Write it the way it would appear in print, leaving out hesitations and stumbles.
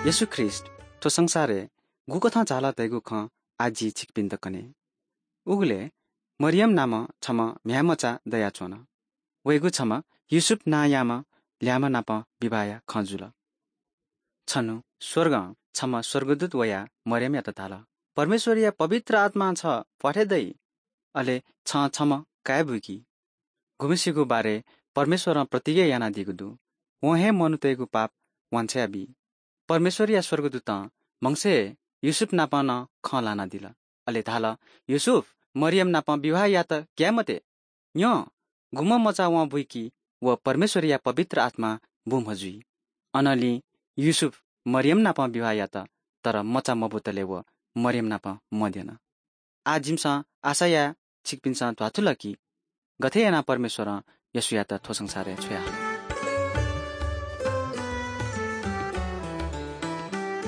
येशू ख्रीष्‍ट थ्‍व संसारय् गुकथं झाल धयागु खँ आज जि छिकपिन्‍त कने। उगले मरियम नामं छम्‍ह म्‍ह्याय्‌मचा दयाच्‍वन। वयागु छम्‍ह योसेफ नांयाम्‍ह ल्‍याम्‍ह नाप विवाह खँ जुल। छन्‍हु स्‍वर्गं छम्‍ह स्‍वर्गदूत वयाः मरियमयात धाल – परमेश्‍वरया पवित्र आत्‍मां छ प्‍वाथय् दइ, अले छं छम्‍ह काय् बुकी। गुम्‍हय्‌सिगु बारे परमेश्‍वरं प्रतिज्ञा यानादीगु दु। वं हे मनूतय्‌गु पाप वान्‍छ्वयाबी। परमेश्‍वरया स्‍वर्गदूतं म्‍हगसय् योसेफ नाप नं खँ ल्‍हानादिल। अले धाल – योसेफ, मरियम नाप विवाह यात ग्‍याये मते। न्‍यँ, गुम्‍ह मचा वं बुइकी व परमेश्‍वरया पवित्र आत्‍मां बुम्‍ह जुइ। अनंलि योसेफ मरियम नाप विवाह यात, तर मचा मबुतले व मरियम नाप मद्यन। आज जिमिसं आशा याः छिकपिन्‍सं ध्‍वाथुल कि गथे यानाः परमेश्‍वरं येशूयात थ्‍व संसारय् छ्वयाहल।